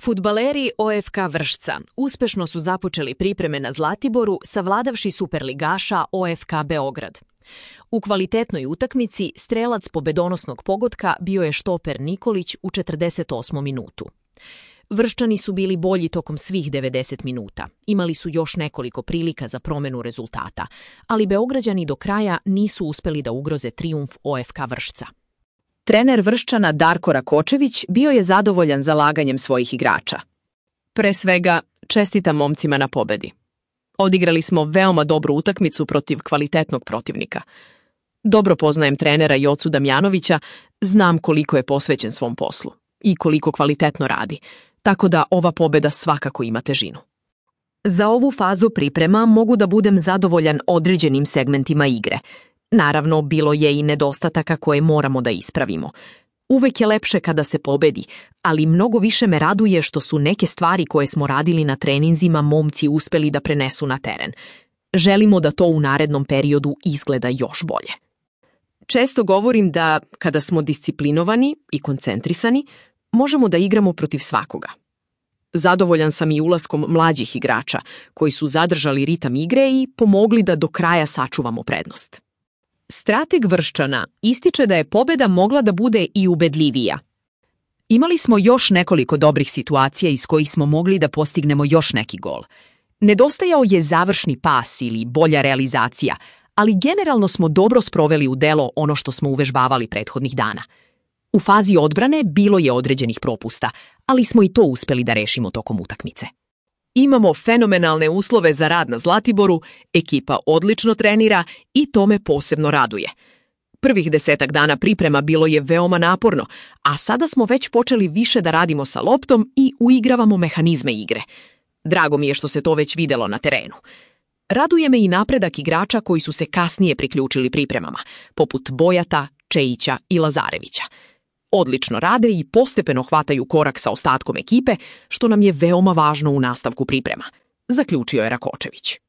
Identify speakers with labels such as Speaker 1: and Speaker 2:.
Speaker 1: Fudbaleri OFK Vršca uspešno su započeli pripreme na Zlatiboru savladavši superligaša OFK Beograd. U kvalitetnoj utakmici strelac pobedonosnog pogotka bio je štoper Nikolić u 48. minutu. Vrščani su bili bolji tokom svih 90 minuta. Imali su još nekoliko prilika za promenu rezultata, ali Beograđani do kraja nisu uspeli da ugroze trijumf OFK Vršca.
Speaker 2: Trener Vrščana Darko Rakočević bio je zadovoljan zalaganjem svojih igrača. Pre svega, čestitam momcima na pobedi. Odigrali smo veoma dobru utakmicu protiv kvalitetnog protivnika. Dobro poznajem trenera Jocu Damjanovića, znam koliko je posvećen svom poslu i koliko kvalitetno radi, tako da ova pobeda svakako ima težinu. Za ovu fazu priprema mogu da budem zadovoljan određenim segmentima igre. Naravno, bilo je i nedostataka koje moramo da ispravimo. Uvek je lepše kada se pobedi, ali mnogo više me raduje što su neke stvari koje smo radili na treninzima momci uspeli da prenesu na teren. Želimo da to u narednom periodu izgleda još bolje. Često govorim da, kada smo disciplinovani i koncentrisani, možemo da igramo protiv svakoga. Zadovoljan sam i ulaskom mlađih igrača, koji su zadržali ritam igre i pomogli da do kraja sačuvamo prednost. Strateg Vrščana ističe da je pobeda mogla da bude i ubedljivija. Imali smo još nekoliko dobrih situacija iz kojih smo mogli da postignemo još neki gol. Nedostajao je završni pas ili bolja realizacija, ali generalno smo dobro sproveli u delo ono što smo uvežbavali prethodnih dana. U fazi odbrane bilo je određenih propusta, ali smo i to uspeli da rešimo tokom utakmice. Imamo fenomenalne uslove za rad na Zlatiboru, ekipa odlično trenira i to me posebno raduje. Prvih 10 dana priprema bilo je veoma naporno, a sada smo već počeli više da radimo sa loptom i uigravamo mehanizme igre. Drago mi je što se to već videlo na terenu. Raduje me i napredak igrača koji su se kasnije priključili pripremama, poput Bojata, Čejića i Lazarevića. Odlično rade i postepeno hvataju korak sa ostatkom ekipe, što nam je veoma važno u nastavku priprema, zaključio je Rakočević.